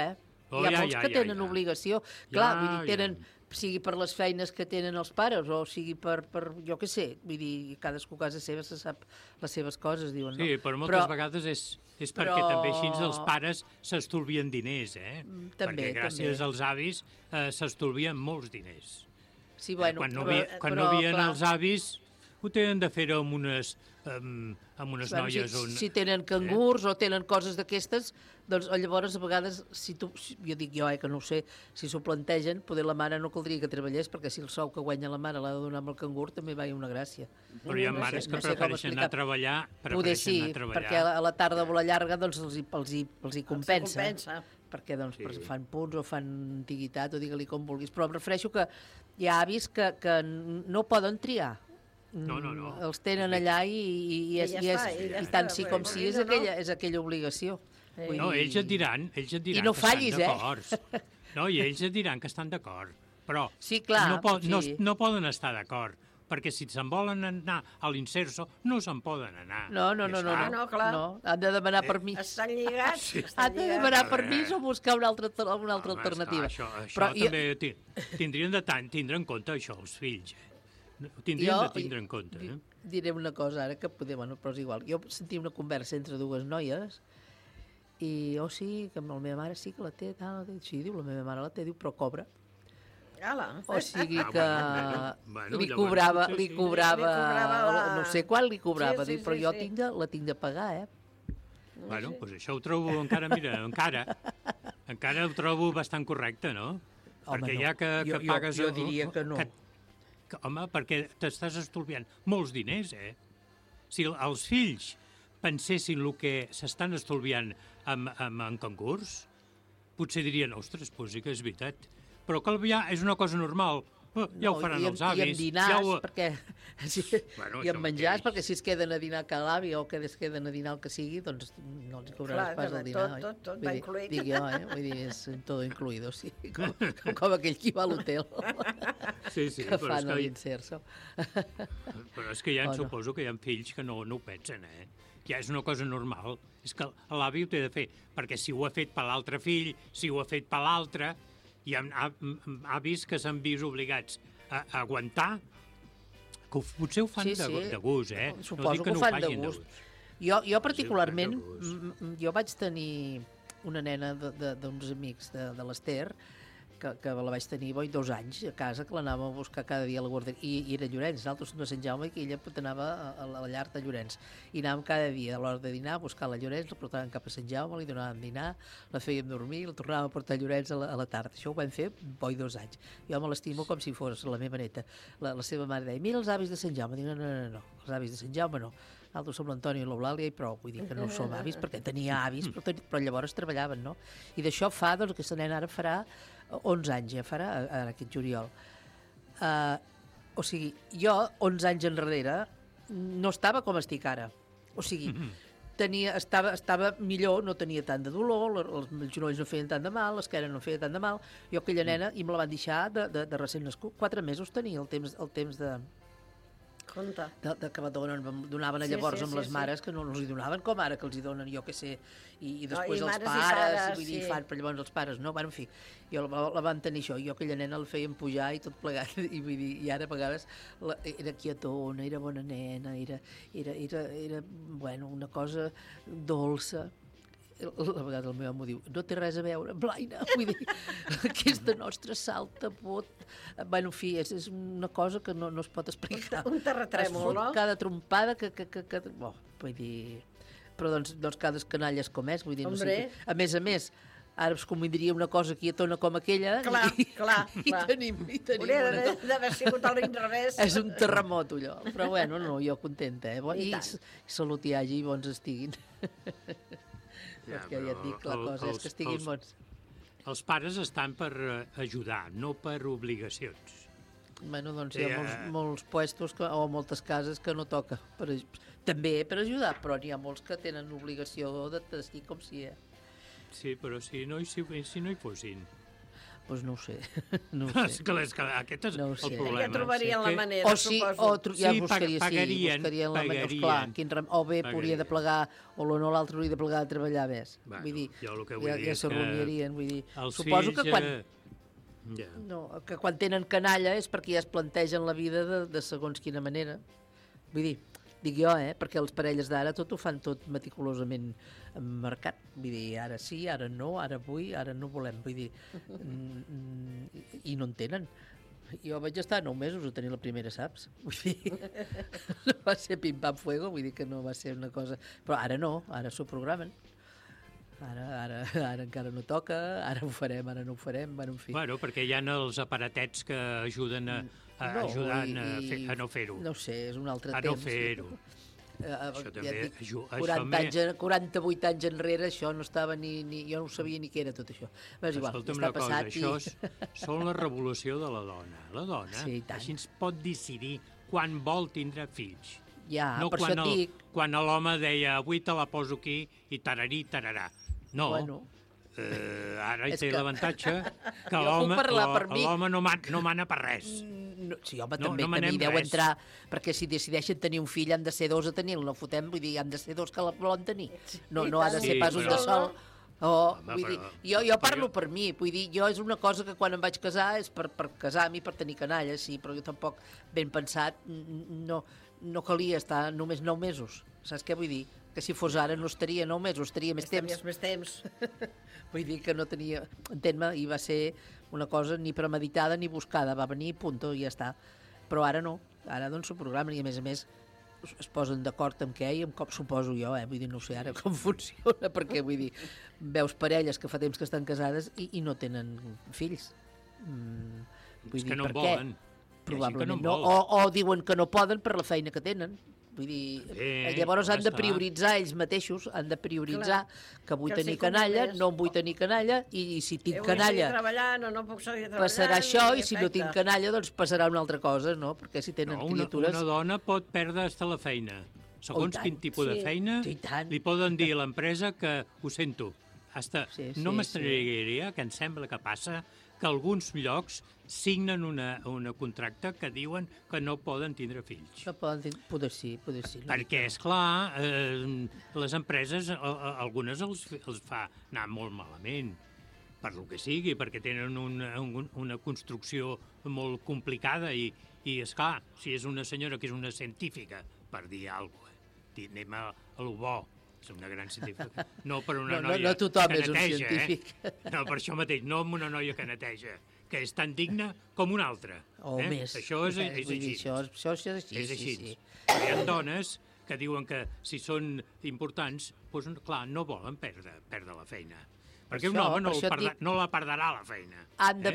G: Hi ha molts que tenen obligació. Clar, vull dir, tenen... sigui per les feines que tenen els pares o sigui per jo què sé, vull dir, cadascú a casa seva se sap les seves coses, diuen, no?
I: Sí, però moltes vegades és perquè també així els pares s'estolvien diners,
G: També,
I: perquè gràcies als avis s'estolvien molts diners.
G: Sí, bueno,
I: quan no havien els avis, ho tenen de fer amb unes noies...
G: Si tenen cangurs o tenen coses d'aquestes, doncs llavors a vegades, jo dic jo, que no ho sé, si s'ho plantegen, poder la mare no caldria que treballés, perquè si el sou que guanya la mare l'ha de donar amb el cangur, també va una gràcia.
I: Però hi ha mares que prefereixen anar a treballar.
G: Poder sí, perquè a la tarda o la llarga doncs els hi compensa. Perquè doncs, fan punts o fan antiguitat o digue-li com vulguis. Però em refereixo que hi ha avis que no poden triar.
I: No.
G: Els tenen allà i tant sí com sí és aquella obligació.
I: No, ells et diran
G: I no fallis,
I: que estan d'acord. No, i ells et diran que estan d'acord. Però no poden estar d'acord, perquè si se'n volen anar a l'Inserso, no se'n poden anar.
G: No, clar. Han de demanar permís.
F: Estan lligats.
G: Han de demanar permís o buscar una altra alternativa.
I: Això també tindrien de tindre en compte això, els fills. Tindrien de tindre en compte.
G: Diré una cosa ara que poder, però és igual. Jo sentia una conversa entre dues noies i, sí, que la meva mare sí que la té, sí, diu, la meva mare la té, diu, però cobra. O sigui que li cobrava, no sé quan li cobrava, però jo la tinc de pagar,
I: Bueno, doncs això ho trobo encara ho trobo bastant correcte, no? Perquè ja que pagues...
G: Jo diria que no.
I: Home, perquè t'estàs estolviant molts diners, Si els fills pensessin el que s'estan estolviant en concurs, potser dirien, ostres, doncs sí que és veritat. Però que és una cosa normal. Ja ho faran els avis.
G: I amb dinars, perquè... I amb menjars, perquè si es queden a dinar cada avi o que es queden a dinar el que sigui, doncs no els cobraràs pas el dinar.
F: Tot va incluït.
G: Dic jo, vull dir, és tot incluïdo, sí. Com aquell que va a l'hotel.
I: Sí,
G: que fan a l'Inserso.
I: Però és que suposo que hi ha fills que no ho pensen, Ja és una cosa normal. És que l'avi ho té de fer, perquè si ho ha fet per l'altre fill, si ho ha fet per l'altre, hi ha avis que s'han vist obligats a aguantar, que potser ho fan de gust,
G: Suposo que ho fan de gust. Jo particularment, jo vaig tenir una nena d'uns amics de l'Ester, que la vaig tenir 2 anys a casa, que l'anàvem a buscar cada dia a la guarderia, i era Llorenç, nosaltres som de Sant Jaume, i ella anava a la llar de Llorenç, i anàvem cada dia a l'hora de dinar a buscar la Llorenç, la portàvem cap a Sant Jaume, li donàvem dinar, la fèiem dormir, la tornàvem a portar a Llorenç a la tarda. Això ho vam fer 2 anys. Jo me l'estimo com si fos la meva neta. La seva mare deia, mira els avis de Sant Jaume. Dic, no, els avis de Sant Jaume no. Nosaltres som l'Antoni i l'Eulàlia i prou. Vull dir que no som avis, perquè tenia avis, però llavors treballaven, no? I d'això fa, doncs, aquesta nena ara farà 11 anys, ja farà, aquest juliol. O sigui, jo, 11 anys enrere, no estava com estic ara. O sigui, estava millor, no tenia tant de dolor, els genolls no feien tant de mal, l'esquena no feia tant de mal. Jo aquella nena, i me la van deixar de recent nascut, 4 mesos tenia el temps de...
F: Compte.
G: Que donaven llavors amb les mares, que no els hi donaven com ara, que els hi donen, jo què sé, i després els pares, vull dir, però llavors els pares no, bueno, en fi, jo la van tenir això, jo aquella nena la feien pujar i tot plegat, i vull dir, i ara a vegades era quietona, era bona nena, era bueno, una cosa dolça. A vegades el meu amo diu, no té res a veure, Blaina, vull dir, aquesta nostra salta, pot... Bueno, en fi, és una cosa que no es pot explicar.
F: Un terratrèmol, no?
G: Cada trompada que... Vull dir... Però doncs cada canalla és com és, vull dir, no sé. A més, ara es convindria una cosa quietona com aquella...
F: Clar.
G: I tenim
F: hauria d'haver sigut a l'inrevés.
G: És un terremot, allò. Però bueno, no, jo contenta, I salut hi hagi i bons estiguin. Perquè ja et dic, la cosa és que estiguin bons.
I: Els pares estan per ajudar, no per obligacions.
G: Bueno, doncs hi ha molts puestos o moltes cases que no toca. També per ajudar, però n'hi ha molts que tenen obligació de testir com si...
I: Sí, però si no hi fossin...
G: Doncs no ho sé.
I: És que aquest és el problema.
F: Ja trobarien la manera, suposo.
G: Ja buscarien la manera. Clar, o bé podria de plegar, o l'altre hauria de plegar de treballar més. Vull dir, ja se reunirien. Suposo que quan... No, que quan tenen canalla és perquè ja es plantegen la vida de segons quina manera. Vull dir, dic jo, perquè les parelles d'ara tot ho fan tot meticulosament marcat. Vull dir, ara sí, ara no, ara vull, ara no volem. Vull dir, i no en tenen. Jo vaig estar 9 mesos a tenir la primera, saps? Vull dir, no va ser pim-pam-fuego, vull dir que no va ser una cosa... Però ara no, ara s'ho programen. Ara encara no toca, ara ho farem, ara no ho farem, bueno, en fi.
I: Bueno, perquè hi ha els aparatets que ajuden a no fer-ho.
G: No ho sé, és un altre temps.
I: A no fer-ho. Això també ajuda.
G: 48 anys enrere això no estava jo no sabia ni què era tot això.
I: Escolta'm una cosa, això són la revolució de la dona. La dona així ens pot decidir quan vol tindre fills.
G: Ja,
I: no
G: per això et dic...
I: Quan l'home deia avui te la poso aquí i tararí, tararà. No, ara hi té l'avantatge que l'home no mana per res.
G: Sí, home, també deu entrar, perquè si decideixen tenir un fill han de ser 2 a tenir-lo, no fotem, vull dir, han de ser 2 que la volen tenir. No ha de ser pas un de sol. Vull dir, jo parlo per mi, vull dir, jo és una cosa que quan em vaig casar és per casar-m'hi, per tenir canalla, sí, però jo tampoc, ben pensat, no calia estar només 9 mesos. Saps què vull dir? Que si fos ara no estaria 9 mesos, estaria més temps.
F: Més temps.
G: Vull dir que no tenia... Entén-me, i va ser una cosa ni premeditada ni buscada, va venir, punto, i ja està. Però ara no, ara doncs s'ho programen i a més es posen d'acord amb què i amb com suposo jo, vull dir, no sé ara com funciona, perquè vull dir, veus parelles que fa temps que estan casades i no tenen fills.
I: Vull dir, per què?
G: Probablement no. O diuen que no poden per la feina que tenen. Vull dir, llavors han de prioritzar ells mateixos, han de prioritzar que vull tenir canalla, no em vull tenir canalla, i si tinc canalla passarà això, i si no tinc canalla doncs passarà una altra cosa, no? Perquè si tenen criatures...
I: Una dona pot perdre fins la feina. Segons quin tipus de feina, li poden dir a l'empresa que ho sento. No m'estraniaria que em sembla que passa que alguns llocs signen un contracte que diuen que no poden tindre fills.
G: No poden poder sí.
I: Perquè, esclar, les empreses, algunes els fa anar molt malament, per lo que sigui, perquè tenen una construcció molt complicada i esclar, si és una senyora que és una científica, per dir alguna cosa, anem a lo bo, és una gran científica, no per una noia que neteja. No tothom és un científic. No, per això mateix, no amb una noia que neteja, que és tan digna com una altra.
G: O més.
I: Això és així.
G: Això és així.
I: És així. Hi ha dones que diuen que si són importants, doncs, clar, no volen perdre la feina. Perquè un home no la perdrà la feina.
G: Han de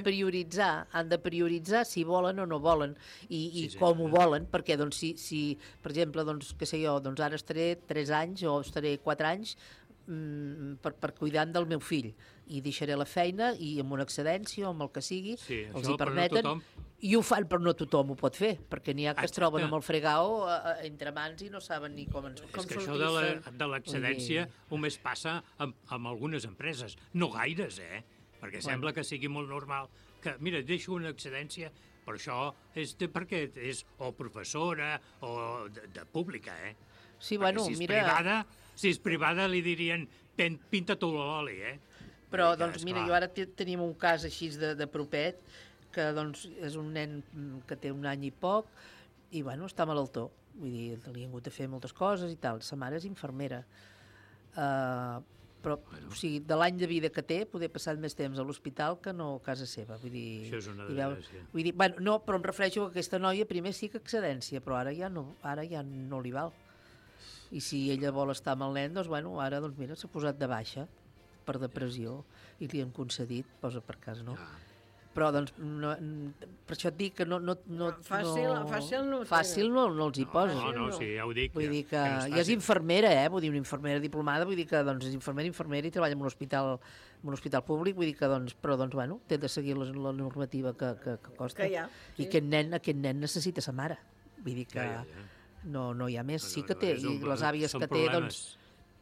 G: prioritzar si volen o no volen i com ho volen, perquè doncs, si per exemple, doncs, què sé jo, doncs ara estaré 3 anys o estaré 4 anys per cuidant del meu fill i deixaré la feina i amb una excedència o amb el que sigui, els hi permeten, i ho fan, però no tothom ho pot fer, perquè n'hi ha que es troben amb el fregao entre mans i no saben ni com
I: sortir. És que això de l'excedència només passa amb algunes empreses, no gaires, perquè sembla que sigui molt normal que, mira, deixo una excedència, però això és perquè és o professora o de pública,
G: Sí, bueno, mira...
I: Si és privada li dirien pinta tu l'oli,
G: Però, doncs, mira, jo ara tenim un cas així de propet, que doncs és un nen que té 1 any i poc, i, bueno, està malaltó. Vull dir, li han hagut de fer moltes coses i tal. Sa mare és infermera. Però, o sigui, de l'any de vida que té, poder passar més temps a l'hospital que no a casa seva. Vull dir,
I: això és una desgràcia.
G: Vull dir, bueno, no, però em refereixo que aquesta noia primer sí que excedència, però ara ja no li val. I si ella vol estar amb el nen, doncs, bueno, ara, doncs, mira, s'ha posat de baixa per depressió i li han concedit, posa per cas, no? però doncs, per això et dic que no fàcil no els hi poso.
I: No, sí, ja ho dic.
G: Vull dir que i és infermera, vull dir, una infermera diplomada, vull dir que doncs, és infermera i treballa en un hospital públic, vull dir que, doncs, però, doncs, bueno, té de seguir la normativa que costa.
F: Que hi ha, sí.
G: I aquest nen necessita sa mare. Vull dir que no hi ha més. Sí que té, i les àvies que té, doncs,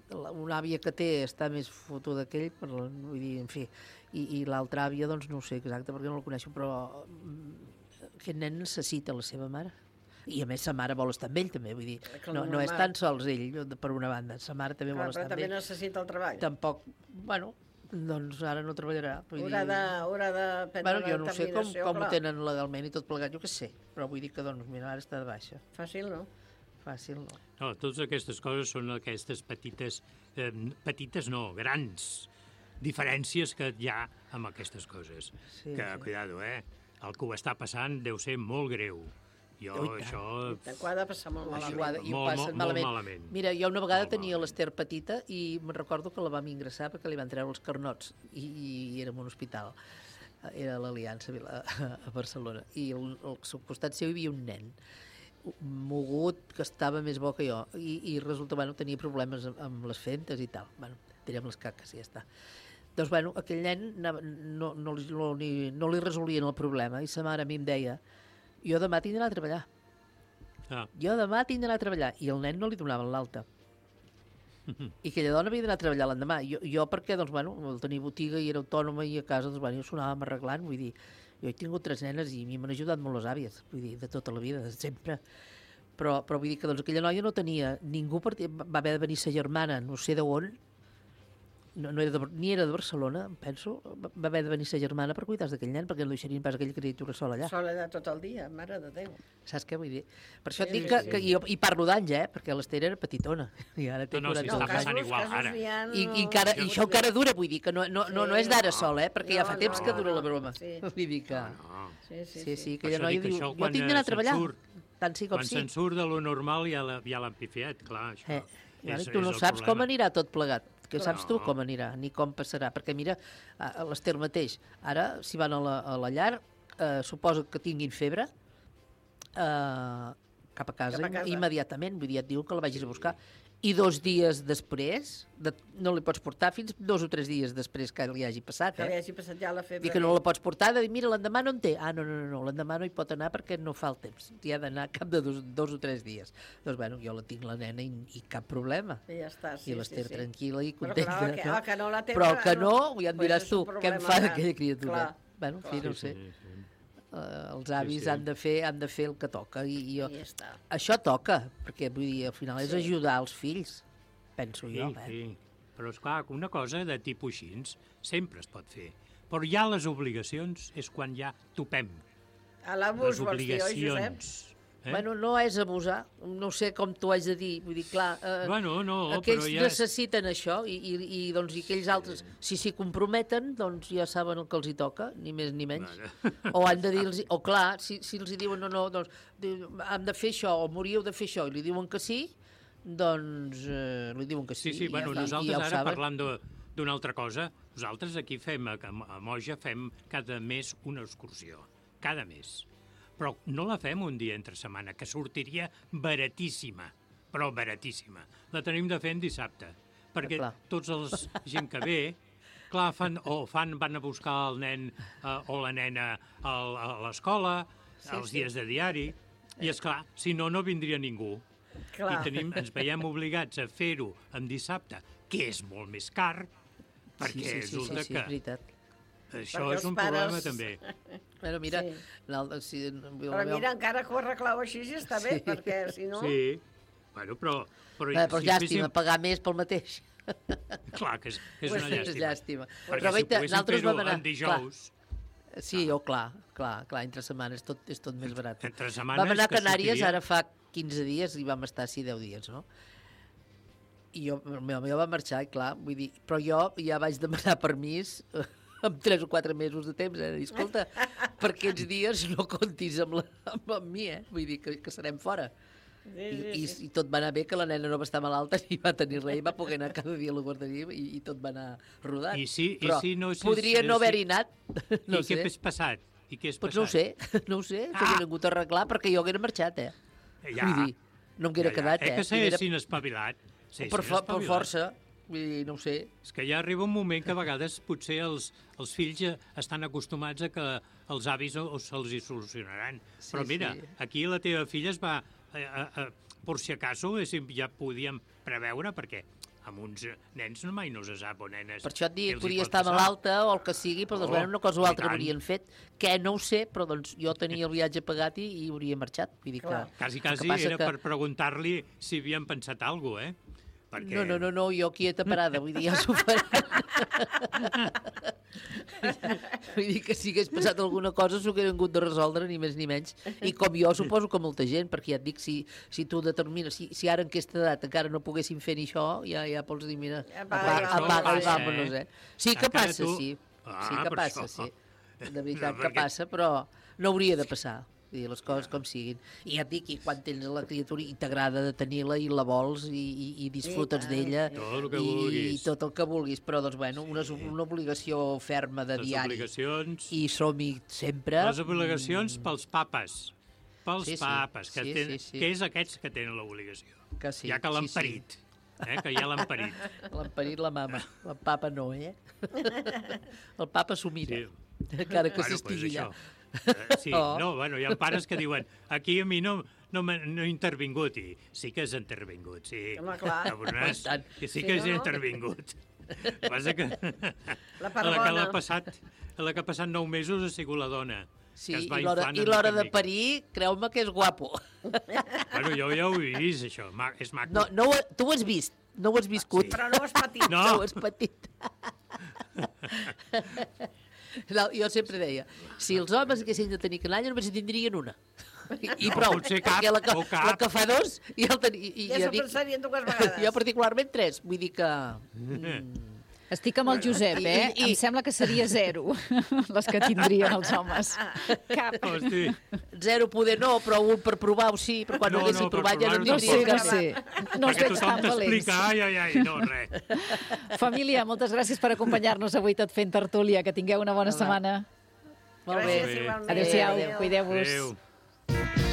G: una àvia que té està més fotuda que ell, vull dir, en fi, i l'altra àvia, doncs, no ho sé exacte perquè no la coneixo, però aquest nen necessita la seva mare. I a més sa mare vol estar amb ell també, vull dir, no és tan sols ell per una banda, sa mare també vol estar amb ell.
F: Però també necessita el treball.
G: Tampoc, bueno, doncs ara no treballarà.
F: Haurà de prendre la
G: jo no sé com ho
F: clar.
G: tenen legalment i tot plegat, jo què sé, però vull dir que doncs, mira, ara està de baixa.
F: Fàcil, no?
G: Fàcil, no.
I: No, totes aquestes coses són aquestes petites no, grans diferències que hi ha amb aquestes coses.
G: Sí,
I: que, cuidado, el que ho està passant deu ser molt greu. Això...
F: Ho ha de passar molt malament.
G: I ho passen malament. Mira, jo una vegada tenia l'Ester petita i me'n recordo que la vam ingressar perquè li van treure els carnots i érem a un hospital. Era l'Aliança a Barcelona. I al costat seu hi havia un nen mogut, que estava més bo que jo, i resulta, tenia problemes amb les fentes i tal. Tirem les caques i ja està. Doncs, aquell nen no li resolien el problema, i sa mare a mi em deia, jo demà tinc d'anar a treballar. Jo demà tinc d'anar a treballar. I el nen no li donaven l'alta. I aquella dona havia d'anar a treballar l'endemà. Jo perquè, doncs, tenia botiga i era autònoma i a casa, doncs, jo sonàvem arreglant, vull dir, jo he tingut 3 nenes i a mi m'han ajudat molt les àvies, vull dir, de tota la vida, de sempre. Però vull dir que doncs, aquella noia no tenia ningú, va haver de venir sa germana, no sé d'on, ni era de Barcelona, em penso, va haver de venir sa germana per cuidar d'aquell nen, perquè no deixarien pas aquella criatura sola allà.
F: Sola allà tot el dia, mare de Déu.
G: Saps què vull dir? Per això et dic que jo parlo d'anys, perquè l'Ester era petitona. I ara té 40 anys.
I: Està passant igual ara.
G: I això encara dura, vull dir, que no és d'ara sol, perquè ja fa temps que dura la broma. Vull dir que... Sí, aquella noia diu, jo tinc d'anar a treballar, tant sí com sí.
I: Quan se'n surt de lo normal ja l'han pifiat, clar, això.
G: Tu no saps com anirà tot plegat. Que saps tu com anirà, ni com passarà. Perquè mira, l'Ester mateix, ara, si van a la llar, suposo que tinguin febre, cap a casa. Immediatament, vull dir, et diuen que la vagis a buscar. I 2 dies després, no li pots portar fins 2 o 3 dies després que li hagi passat.
F: Que li hagi passat ja la febre.
G: Dic que no la pots portar, de dir, mira, l'endemà no en té. No, l'endemà no hi pot anar perquè no fa el temps. Hi ha d'anar cap de 2 o 3 dies. Doncs, jo la tinc la nena i cap problema.
F: I ja està, sí.
G: I l'Ester tranquil·la i contenta.
F: Però que no la té...
G: Però que no, ja em diràs tu, què em fa d'aquella criatura? En fi, no ho sé. Els avis han de fer el que toca i això toca, perquè vull dir, al final és ajudar els fills, penso jo.
I: Sí, però esclar, una cosa de tipus així sempre es pot fer, però ja les obligacions és quan ja topem.
F: A l'abús vols dir, oi, Josep?
G: No és abusar, no sé com t'ho haig de dir, vull dir, clar, aquells necessiten això i aquells altres, si s'hi comprometen, doncs ja saben el que els hi toca, ni més ni menys. O han de dir-los, o clar, si els hi diuen no, doncs hem de fer això, o moríeu de fer això, i li diuen que sí, doncs li diuen que sí.
I: Sí, nosaltres ara parlant d'una altra cosa, nosaltres aquí a Moja fem cada mes una excursió, cada mes. Però no la fem un dia entre setmana, que sortiria baratíssima, però baratíssima. La tenim de fer en dissabte, perquè tots els gent que ve, clar, van a buscar el nen o la nena a l'escola, els dies de diari, i esclar, si no vindria ningú. I ens veiem obligats a fer-ho en dissabte, que és molt més car, perquè resulta que...
G: és veritat.
I: Això és un problema, també.
G: Però mira...
F: Però mira, encara que ho arreglau així ja està bé, perquè si no...
I: Sí, però...
G: Però llàstima, pagar més pel mateix.
I: Clar, que és una llàstima.
G: Perquè si
I: poguéssim fer-ho en dijous...
G: Sí, clar, entre setmanes és tot més barat.
I: Entre setmanes...
G: Vam anar a Canàries ara fa 15 dies i vam estar 10 dies, no? I el meu home va marxar, clar, vull dir... Però jo ja vaig demanar permís... amb 3 o 4 mesos de temps, escolta, per aquests dies no comptis amb mi, vull dir que serem fora. I tot va anar bé, que la nena no va estar malalta ni va tenir res, i va poder anar cada dia a la guarderia i tot va anar rodant. Però podria no haver-hi anat.
I: I què has passat?
G: Doncs no ho sé, s'havia vingut a arreglar perquè jo haguera marxat, Vull dir, no m'haguera quedat,
I: que s'haguessin espavilat.
G: Per força, vull dir, no ho sé.
I: És que ja arriba un moment que a vegades potser els fills estan acostumats a que els avis se'ls hi solucionaran. Però mira, aquí la teva filla es va, per si acaso, ja podíem preveure, perquè amb uns nens mai no se sap, o nenes...
G: Per això et dic, podia estar malalta o el que sigui, però doncs, una cosa o altra haurien fet, que no ho sé, però doncs jo tenia el viatge pagat i hauria marxat. Vull dir que...
I: Quasi era per preguntar-li si havien pensat alguna cosa, Perquè...
G: No, jo quieta parada, vull dir, ja s'ho faré. Vull dir que si hagués passat alguna cosa s'ho hagués hagut de resoldre, ni més ni menys. I com jo suposo que molta gent, perquè ja et dic, si tu determines, si ara en aquesta edat encara no poguessin fer ni això, ja pots dir, mira, apaga i vámonos, Sí que passa, sí. Sí que passa, sí. De veritat que passa, però no hauria de passar. Vull dir, les coses com siguin. I ja et dic, i quan tens la criatura i t'agrada de tenir-la i la vols i disfrutes d'ella i tot el que vulguis, però doncs, bueno, una obligació ferma de diari.
I: Les obligacions...
G: I som-hi sempre.
I: Les obligacions pels papes. Pels papes, que és aquests que tenen l'obligació. Ja que l'han parit. Que ja l'han parit.
G: L'han parit la mama. El papa no, El papa s'ho mira. Encara que s'estigui allà.
I: Sí, hi ha pares que diuen aquí a mi no he intervingut, i sí que has intervingut, sí.
F: Home, clar.
I: Sí que has intervingut. Passa que la que ha passat 9 mesos ha sigut la dona.
G: Sí, i l'hora de parir, creu-me que és guapo.
I: Bueno, jo ja ho he vist, això, és maco.
G: No, tu ho has vist, no ho has viscut.
F: Però no ho has patit.
G: No ho has patit. Jo sempre deia, si els homes haguessin de tenir canalla només en tindrien una. I prou, perquè la que fa 2 ja el tenia.
F: Ja s'ho pensarien 2 vegades.
G: Jo particularment 3, vull dir que...
C: Estic amb el Josep, Em sembla que seria 0 les que tindrien els homes.
F: Cap.
G: 0 poder no, però un per provar-ho sí, però quan no haguessin provat ja no tindrien cap.
C: No us veig tan valents.
I: No, res.
C: Família, moltes gràcies per acompanyar-nos avui tot fent tertúlia. Que tingueu una bona setmana.
G: Molt bé.
C: Adéu-siau, cuideu-vos.
I: Adéu.